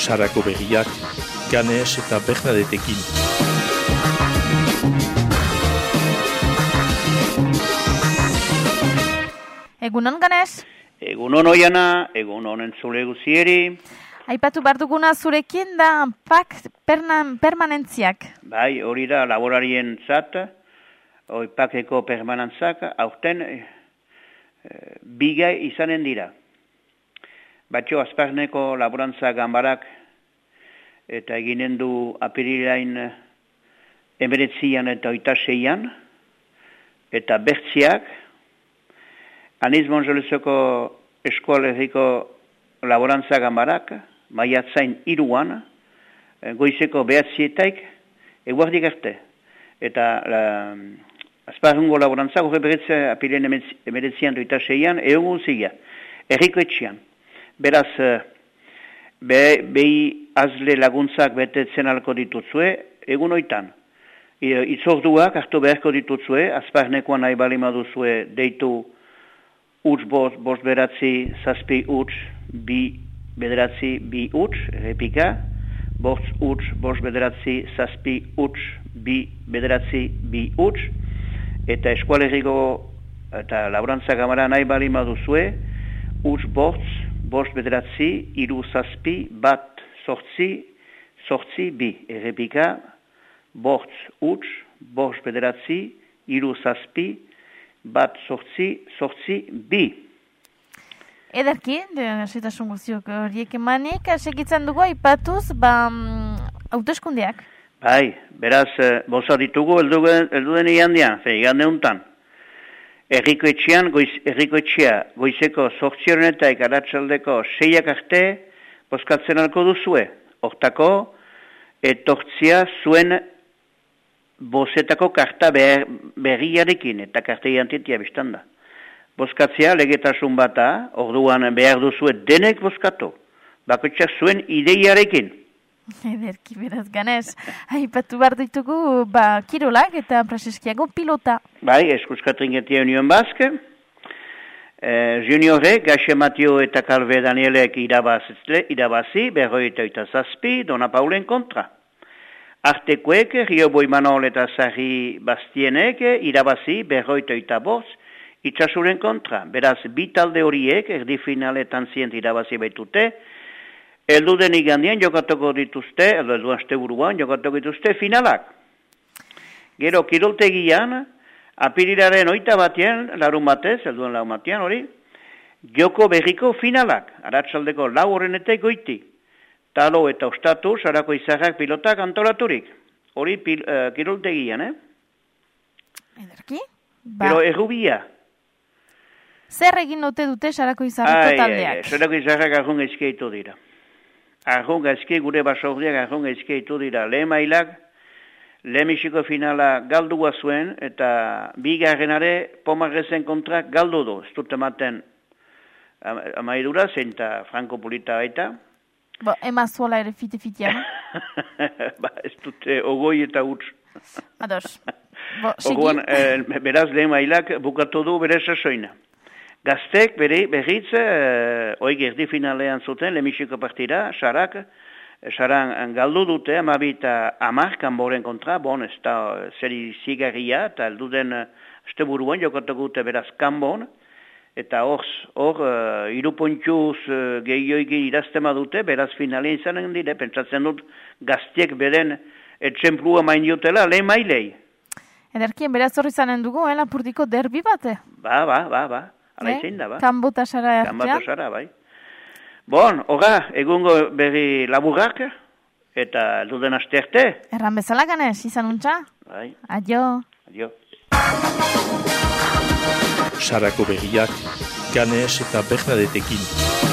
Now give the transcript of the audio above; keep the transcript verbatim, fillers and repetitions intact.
Sarako berriak, Ganes eta Bernadetekin. Egunon, Ganes? Egunon oiana, egunon entzule guzieri. Aipatu behar duguna zurekin da pak permanentziak. Bai, hori da laborarien zat, hori pakeko permanentzak, aurten e, bigai izanen dira. Batxo azparneko laborantza gambarak eta eginen du apirilain emeretzian eta oitaseian, eta bertziak, Aniz Monjolezoko eskualerriko laborantza gambarak, maiatzain iruan, goizeko behatzietaik, eguardik arte. Eta la, azparrungo laborantza, gore beretzea apilen emeretzian eta oitaseian, egun zila, erriko etxian. Beraz, be, behi azle laguntzak betetzen alko ditutzue, egun oitan. Itzorduak hartu beharko ditutzue, azparnekoan nahi balima duzue deitu Uts bost, bost beratzi, zazpi uts, bi bederatzi, bi uts, errepika. Bost uts, bost bederatzi, zazpi uts, bi bederatzi, bi uts. Eta eskualerriko eta laborantza gamara nahi balima duzue, uts bost, bost bederatzi, iru zazpi, bat sortzi, sortzi, bi. Errepika, bost uts, bost bederatzi, iru zazpi, bat sortzi, sortzi, bi. Ederki, zetasun guztiok horiek emanik, segitzen dugu aipatuz, ba, hauteskundeak. Bai, beraz, boza ditugu, elduden igandean, fe, igande untan. Erriko etxean, goiz, erriko etxea, goizeko sortziorenetak aratsaldeko seiak arte, bozkatzen alko duzue. Hortako, etortzia zuen bozetako karta ber, berriarekin, eta karta identitia biztanda. Bozkatzea legetasun bata, orduan behar duzue denek bozkatu. Bakotxak zuen ideiarekin. Ederki, beraz, Ganes. Aipatu behar ditugu, ba, kirolak eta Praseskiago pilota. Bai, Eskuskatringetia Union Basque. Eh, juniorek, Gaxe Matio eta Kalve Danielek irabazi, berroi eta oita zazpi, Dona Paulen kontra. Artekoek, Rio Boimanol eta Sarri Bastienek irabazi berroita oita bost itxasuren kontra. Beraz, bi talde horiek erdi finaletan zient irabazi baitute. Elduden igandian jokatuko dituzte, eldu aste buruan jokatuko dituzte finalak. Gero, kiroltegian, apirilaren oita batean, larun batez, elduen larun batean hori, joko berriko finalak, aratsaldeko lau horrenetek goiti. Talo eta ostatu, sarako izarrak pilotak antolaturik. Hori pil, uh, kiroltegian, eh? Ederki? Ba. Pero errubia. Zer egin dute dute sarako izarrako taldeak? Ai, sarako izarrak arrun ezkeitu dira. Arrun ezke, gure basordiak arrun ezkeitu dira. Lehen mailak, lehenbiziko finala galdua zuen, eta bigarrenare Pomarrezen kontra galdu du. Ez dut ematen amaidura, zein eta Franco Pulita baita. Bo, ema zuela ere fite-fitean. Ba, ez dute ogoi eta utz. Ados. Bo, segi? Ogoan, eh, beraz lehen mailak bukatu du bere sasoina. Gaztek bere, berriz, eh, oi gerdi finalean zuten, lehenbiziko partida, sarak, saran galdu dute, amabi eta amar kanboren kontra, bon, ez da zeri zigarria, eta elduden este buruan jokatuko dute beraz kanbon, eta hor, hor, uh, irupontxuz uh, gehioiki iraztema dute, beraz finalean izanen dire, pentsatzen dut gaztiek beren etxemplua main diotela, lehen mailei. Ederkien, beraz horri zanen dugu, eh, Lapurdiko derbi bate? Ba, ba, ba, ba, ala eh? izin da, ba. Kanbo eta Sara Kanbo eta Sara, bai. Bon, horra, egungo berri laburrak, eta duden aste arte. Erran bezala, Ganes, izan untxa? Bai. Adio. Adio. Sarako berriak, Ganes eta Bernadetekin.